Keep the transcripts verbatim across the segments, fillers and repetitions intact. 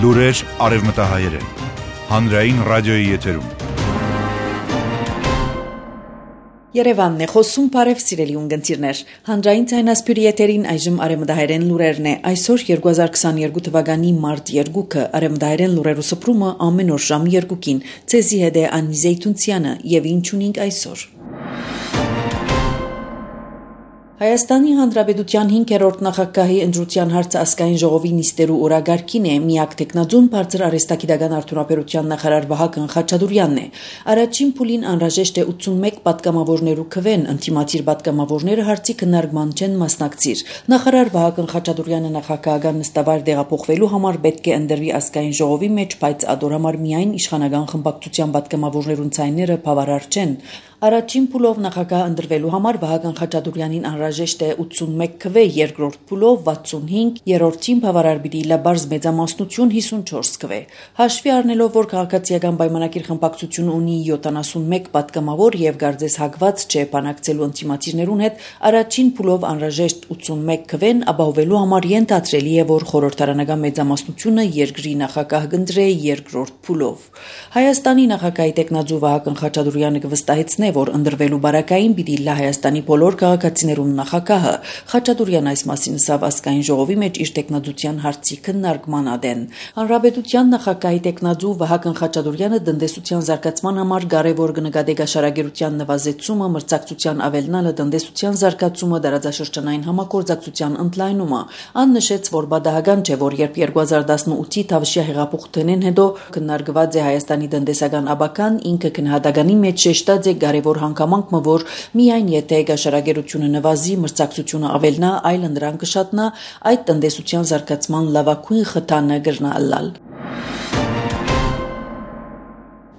Լուրեր արևմտահայերեն, հանրային ռադիոյի եթերում։ Երևանն է խոսում, բարև սիրելի ունգընտիրներ, հանրային ձայնասպյուրի եթերին այժմ արևմտահայերեն լուրերն է, այսօր երկու հազար քսաներկու թվականի մարտ երկուքը, արևմտահայերեն լուրերու սփռումը ամեն օր ժամ երկուքին, ցեզի հետ է Անի Զեյթունցյանը եւ ինչ ունենք այսօր։ Հայաստանի Հանրապետության հինգերորդ նախագահի ընտրության հարցը ազգային ժողովի նիստերու օրագարկին է, միակ տեխնաձուն բարձր արհեստագիտական արդյունաբերության նախարար Վահագն Խաչատուրյանն է։ Առաջին փուլին անհրաժեշտ է ութսունմեկ պատգամավորներու քվեն, ընդդիմադիր պատգամավորները հարցի քննարկման չեն մասնակցիր։ Նախարար Վահագն Խաչատուրյանը նախագահական նստավայր տեղափոխվելու համար պետք է ընտրվի ազգային ժողովի մեջ, բայց ադոր համար միայն իշխանական խմբակցության պատգամավորներուն ցայները բավարար չեն։ Առաջին փուլով նախագահ ընտրվելու համար Վահագն Խաչատուրյանին անհրաժեշտ է ութսունմեկ քվե, երկրորդ փուլով վաթսունհինգ, երրորդին բավարար պիտի լաբարզ մեծամասնություն հիսունչորս քվե։ Հաշվի առնելով, որ քաղաքացիական պայմանագիր խմբակցությունը ունի յոթանասունմեկ պատգամավոր եւ գարձես հակված չէ բանակցելու ինտիմատիվներուն հետ, առաջին փուլով անհրաժեշտ ութսունմեկ քվեն ապահովելու համար ենթադրելի է, որ խորհրդարանական մեծամասնությունը երկրի նախագահ կընտրե երկրորդ փուլով։ Հայաստանի նախագահի տեխնաձու Վահագն Խաչատուրյանը կվստահեցնե, որ ընտրվելու բարակային պիտի լա Հայաստանի բոլոր քաղաքացիներուն նախագահը։ Խաչատուրյան այս մասին ասավ ազգային ժողովի մեջ իր տեխնաձության հարցի քննարկման ադեն։ Հանրապետության նախագահի տեխնաձու Վահագն Խաչատուրյանը տնտեսության զարգացման համար կարևոր կնկատի գաշարագերության նվազեցումը, մրցակցության ավելնալը, տնտեսության զարգացումը, դարաձաշրջանային համագործակցության ընդլայնումը։ Ան նշեց, որ բադահական չէ, որ երբ երկու հազար տասնութի Թավշյա հեղափոխությունեն հետո քննարկված է Հայաստանի տնտեսական աբական, ինքը քննադատանի մեջ շեշտած է որ հանգամանքը, որ միայն եթե գաշարագերությունը նվազի, մրցակցությունը ավելնա, այլ ընդրան կշատնա, այդ տնտեսության զարգացման լավագույն խթանը կրնա ըլլալ։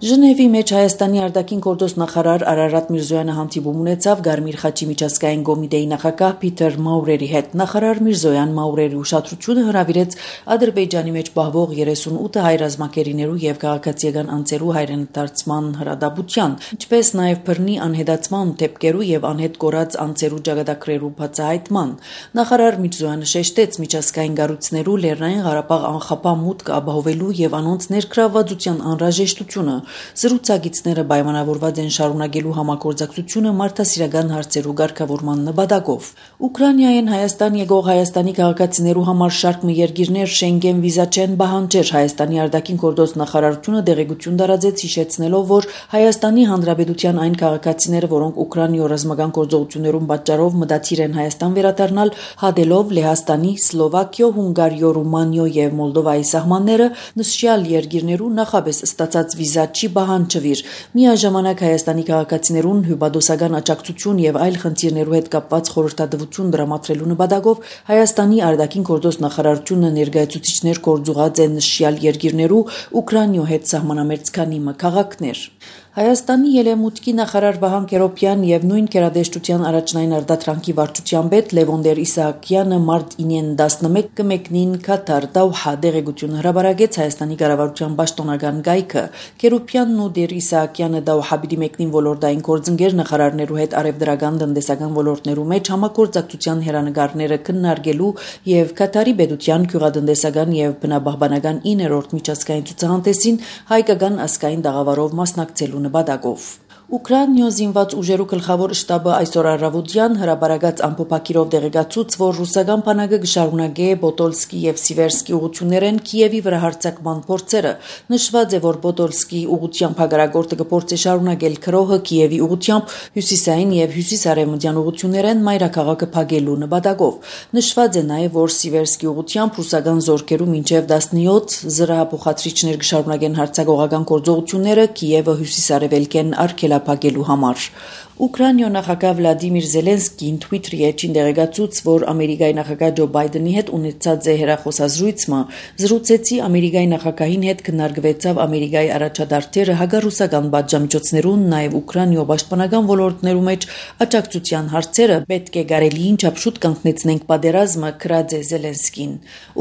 Ժնևի մեջ Հայաստանի արտաքին գործոս նախարար Արարատ Միրզոյանը հանդիպում ունեցավ Գարմիր խաչի միջազգային կոմիտեի նախագահ Պիտեր Մաուրերի հետ։ Նախարար Միրզոյան Մաուրերի ուշադրությունը հրավիրեց Ադրբեջանի մեջ պահվող երեսունութ հայ ռազմակերիներու եւ քաղաքացիական անձերու հայրենադարձման հրադապության, ինչպես նաեւ բռնի անհետացման դեպքերու եւ անհետ կորած անձերու ճակատագրերու բացահայտման։ Նախարար Միրզոյանը շեշտեց միջազգային կառույցներու Լեռնային Ղարաբաղ անխափա մուտք ապահովելու եւ անոնց ներգրավվածության անհրաժեշտությունը։ Զրուցակիցները պայմանավորված են շարունակելու համագործակցությունը մարդասիրական հարցերու ղեկավարման նպատակով։ Ուկրաինայեն Հայաստան եկող Հայաստանի քաղաքացիներու համար շարք մի երկիրներ Շենգեն վիզա չեն պահանջեր։ Հայաստանի արտաքին գործոս նախարարությունը դեղեցություն տարածեց, հիշեցնելով, որ Հայաստանի Հանրապետության այն քաղաքացիները, որոնք Ուկրաինայում ռազմական գործողություններուն պատճառով մտադիր են Հայաստան վերադառնալ, հատելով Լեհաստանի, Սլովակիո, Հունգարիո, Ռումանիո եւ Մոլդովայի սահմանները, նշյալ երկիրներու նախապես ստացած վիզա չի պահանջվիր։ Միաժամանակ Հայաստանի քաղաքացիներուն հյուպատոսական աջակցություն եւ այլ խնդիրներու հետ կապված խորհրդատվություն դրամատրելու նպատակով Հայաստանի արտաքին գործոս նախարարությունը ներկայացուցիչներ կորձուղած են նշյալ երկիրներու Ուկրաինայո հետ սահմանամերձ քանի քաղաքներ։ Հայաստանի ելեմուտքի նախարար Վահան Կերոպյան եւ նույն կերադեշտության առաջնային արտադրանքի վարչության պետ Լևոնդեր Իսահակյանը մարտ ինին տասնմեկ կմեկնին Կատար Դոհա դեղեցություն հրաբարագեց Հայաստանի կառավարության պաշտոնական գայքը։ Կերոպյանն ու Դեր Իսահակյանը Դոհա պիտի մեկնին ոլորտային գործընկեր նախարարներու հետ արևդրական տնտեսական ոլորտներու մեջ համագործակցության հերանեկարները քննարկելու եւ Կատարի պետության գյուղատնտեսական եւ բնապահպանական իններորդ միջազգային ցուցահանդեսին հայկական ազգային դաղավարով մասնակցելու նպատակով։ Ուկրաինայո զինված ուժերու գլխավոր շտաբը այսօր առավոտյան հրաբարագած ամփոփակիրով դեղեկացուց, որ ռուսական բանակը կշարունակե Պոտոլսկի եւ Սիվերսկի ուղություններեն Կիևի վրա հարձակման փորձերը։ Նշված է, որ Պոտոլսկի ուղությամբ հակառակորդը կփորձի շարունակել քրոհը Կիևի ուղությամբ հյուսիսային եւ հյուսիսարևմտյան ուղություններեն մայրաքաղաքը փակելու նպատակով։ Նշված է նաեւ, որ Սիվերսկի ուղությամբ ռուսական զորքերու մինչեւ տասնյոթ զրահափոխադրիչներ կշարունակեն հարձակողական գործողությունները Կիևը հյուսիսարևելքեն արգելափակելու համար։ Ուկրաինայո նախագահ Վլադիմիր Զելենսկին Twitter-ի էջին դեղեկացուց, որ Ամերիկայի նախագահ Ջո Բայդենի հետ ունեցած է հեռախոսազրույցը, զրուցեցի Ամերիկայի նախագահին հետ քննարկվեցավ Ամերիկայի առաջադարձերը հագարուսական պատժամիջոցներուն, նաև Ուկրաինայո պաշտպանական ոլորտներու մեջ աջակցության հարցերը պետք է կարելիին չափշուտ կանգնեցնենք պատերազմը, գրած է Զելենսկին։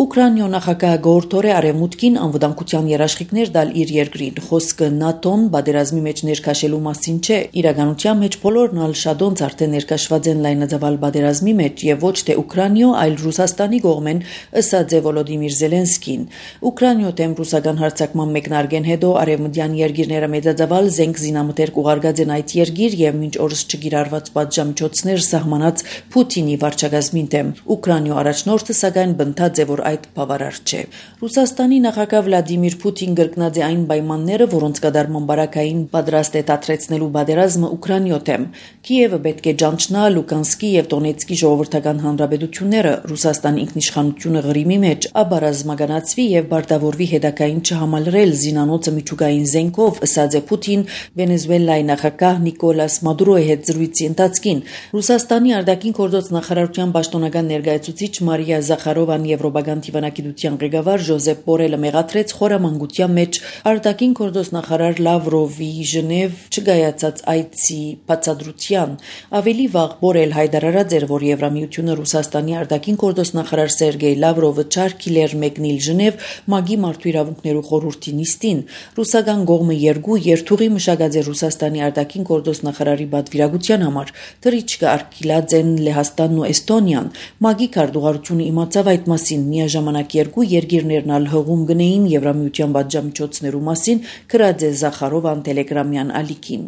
Ուկրաինայո նախագահ գորտորե արևմուտքին անվտանգության երաշխիքներ տալ իր երկրին, խոսքը ՆԱՏՕ-ն պատերազմի մեջ ներքաշելու մասին չէ, իրականության մեջ բոլորն ալ շադոնց արդեն ներկաշված են լայնածավալ բادرազմի մեջ եւ ոչ թե Ուկրաինո, այլ Ռուսաստանի կողմեն, ըսած է Վոլոդիմիր Զելենսկին։ Ուկրաինո դեմ ռուսական հարձակման մեկնարկեն հետո արևմտյան երկիրները մեծածավալ զենք զինամթերք ուղարկած են այդ երկիր եւ մինչ օրս չկիրառված պատժամիջոցներ սահմանած Պուտինի վարչակազմին դեմ։ Ուկրաինո առաջնորդը սակայն բնթած է, որ այդ բավարար չէ։ Ռուսաստանի նախագահ Վլադիմիր Պուտին գրկնած է այն պայմանները, որոնց կատարման բարակային պատրաստ է դադրեցնելու բادرազմը Ուկրաինո դեմ։ Կիևը պետք է ճանչնա Լուկանսկի եւ Դոնեցկի ժողովրդական հանրապետությունները Ռուսաստան ինքնիշխանությունը Ղրիմի մեջ աբարազմականացվի եւ բարտավորվի հետակային չհամալրել զինանոցը միջուկային զենքով, ըսած է Պուտին Վենեսուելայի նախագահ Նիկոլաս Մադուրոյի հետ զրույցի ընթացքին։ Ռուսաստանի արտաքին գործոց նախարարության պաշտոնական ներկայացուցիչ Մարիա Զախարովան եվրոպական դիվանագիտության ղեկավար Ժոզեփ Բորելը մեղադրեց խորամանկության մեջ արտաքին գործոց նախարար Լավրովի Ժնև չգայացած այցի բացատրության։ Ավելի վաղ Բորել հայտարարած էր, որ Եվրամիությունը Ռուսաստանի արտաքին գործոց նախարար Սերգեյ Լավրովը չարկիլ էր մեկնել Ժնև ՄԱԳ-ի մարդու իրավունքներու խորհրդի նիստին։ Ռուսական կողմը երկու երթուղի մշակած է Ռուսաստանի արտաքին գործոց նախարարի պատվիրակության համար։ Թռիչքը արկիլած են Լեհաստանն ու Էստոնիան։ ՄԱԳ-ի քարտուղարությունը իմացավ այդ մասին, միաժամանակ երկու երկիրներն ալ հղում գնեին Եվրամիության պատժամիջոցներու մասին, գրած է Զախարովան տելեգրամյան ալիքին։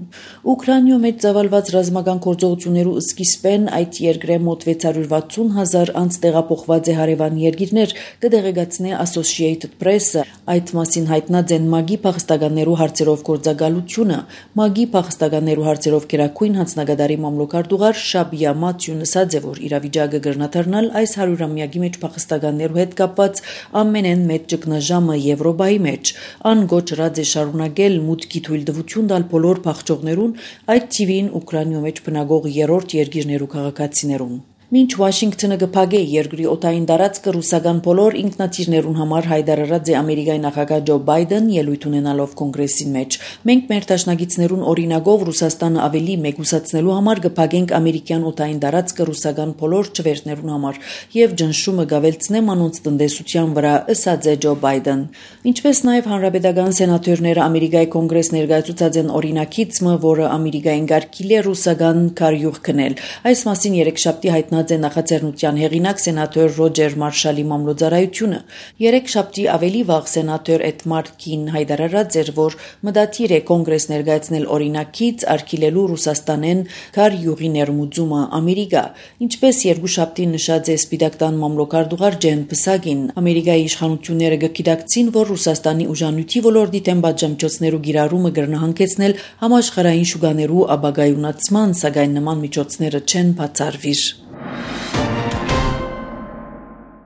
Ուկրաինո մեջ ծավալված ռազմական գործողություններու սկիզբեն այդ երկրի մոտ վեց հարյուր վաթսուն հազար անց տեղափոխված է հարևան երկիրներ, կդեղեկացնի Associated Press-ը, այդ մասին հայտնած են ՄԱԳ-ի փախստականներու հարցերով գործակալությունը։ ՄԱԳ-ի փախստականներու հարցերով գերագույն հանձնագետարի մամլոքարտուղար Շաբիա Մաթյուն ասաց է, որ իրավիճակը կրնաթռնալ այս հարյուրամյակի մեջ փախստականներու հետ կապված ամենեն մեծ ճգնաժամը Եվրոպայի մեջ։ Ան գոչրած է շարունակել մուտքի թույլտվություն տալ բոլոր փախչողներուն, այդ թիվին Ուկրաինո մեջ բնակող երրորդ երկիրներու քաղաքացիներուն։ Մինչ Վաշինգտոնը կփակե երկրի օտային տարածքը ռուսական բոլոր ինքնաթիռներուն համար հայտարարած է Ամերիկայի նախագահ Ջո Բայդեն ելույթ ունենալով կոնգրեսին մեջ։ Մենք մեր դաշնակիցներուն օրինակով Ռուսաստանը ավելի մեգուսացնելու համար կփակենք ամերիկյան օտային տարածքը ռուսական բոլոր չվերթներուն համար եւ ջնշումը գավելցնեմ անոնց տնտեսության վրա, ըսած է Ջո Բայդեն։ Ինչպես նաեւ հանրապետական սենատորները Ամերիկայի կոնգրես ներկայացուցած են օրինակիցը, որը Ամերիկային գարկիլ է ռուսական քարյուղ քնել։ Այս մասին երեքշաբթի հայտնած է նախաձեռնության հեղինակ սենատոր Ռոջեր Մարշալի մամլոյցարայությունը։ Երեքշաբթի ավելի վաղ սենատոր Էդ Մարկին հայտարարած էր, որ մտադիր է կոնգրես ներկայացնել օրինակից արգելելու Ռուսաստանեն քարյուղի ներմուծումը Ամերիկա։ Ինչպես երկուշաբթի նշած է Սպիտակ տան մամլոքարտուղար Ջեն Պսակին, Ամերիկայի իշխանությունները գիտակցին, որ Ռուսաստանի ուժանույթի ոլորտի դեմ պատժամիջոցներու գիրառումը կրնահանգեցնել համաշխարհային շուկաներու ապագայունացման, սակայն նման միջոցները չեն բացառվիր։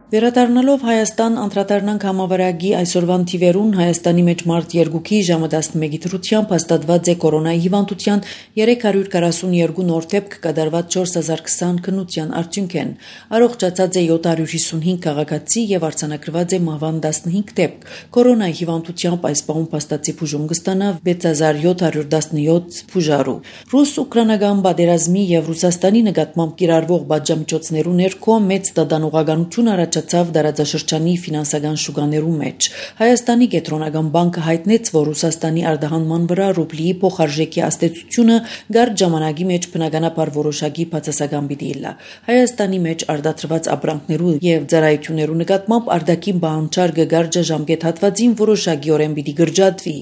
Վերադառնալով Հայաստան անդրադառնանք համավարակի այսօրվան թիվերուն Հայաստանի մեջ մարտ երկուքի ժամը տասնմեկի դրությամբ հաստատված է կորոնայի հիվանդության երեք հարյուր քառասունյոթ նոր դեպք կատարված չորս հազար քսան քննության արդյունքեն։ Առողջացած է յոթ հարյուր հիսունհինգ քաղաքացի եւ արձանագրված է մահվան տասնհինգ դեպք։ Կորոնայի հիվանդությամբ այս պահում փաստացի բուժում կստանա վեց հազար յոթ հարյուր տասնյոթ բուժարու։ Ռուս-ուկրաինական պատերազմի եւ Ռուսաստանի նկատմամբ կիրառվող պատժամիջոցներու ներքո մեծ դադանողականություն առաջ ցավ դարաձաշրջանի ֆինանսական շուկաներու մեջ։ Հայաստանի կենտրոնական բանկը հայտնեց, որ Ռուսաստանի արտահանման վրա ռուբլիի փոխարժեքի աստեցությունը գարդ ժամանակի մեջ բնականաբար որոշակի բացասական պիտի լա։ Հայաստանի մեջ արտադրված ապրանքներու եւ ծառայություններու նկատմամբ արտաքին բանջարկը գարժ ժամկետ հատվածին որոշակիորեն պիտի գրջատվի։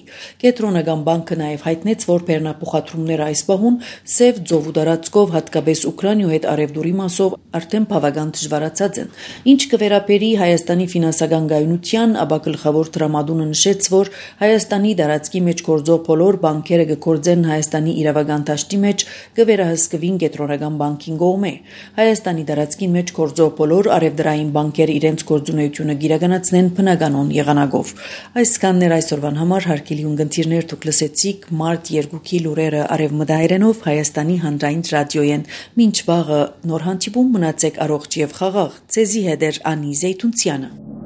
Կենտրոնական բանկը նաեւ հայտնեց, որ բեռնափոխադրումները այս պահուն սև ծովու տարածքով հատկապես Ուկրաինո հետ արևդուրի մասով արդեն բավական դժվարացած են։ Ինչ կվերապերի Հայաստանի ֆինանսական գայունության, ապա գլխավոր տրամադունը նշեց, որ Հայաստանի տարածքի մեջ գործող բոլոր բանկերը կգործեն Հայաստանի իրավական դաշտի մեջ, կվերահսկվին կենտրոնական բանկին կողմէ։ Հայաստանի տարածքի մեջ գործող բոլոր արևդրային բանկերը իրենց գործունեությունը գիրականացնեն բնականon եղանակով։ Այսքանն էր այսօրվան համար հարգելի ունկնդիրներ, դուք լսեցիք մարտ երկուքի լուրերը արևմտահայերենով Հայաստանի հանրային ռադիոյեն։ Մինչ վաղը նոր հանդիպում, մնացեք առողջ եւ խաղաղ։ Ձեզի հետ էր Անի Զեյթունցյանը։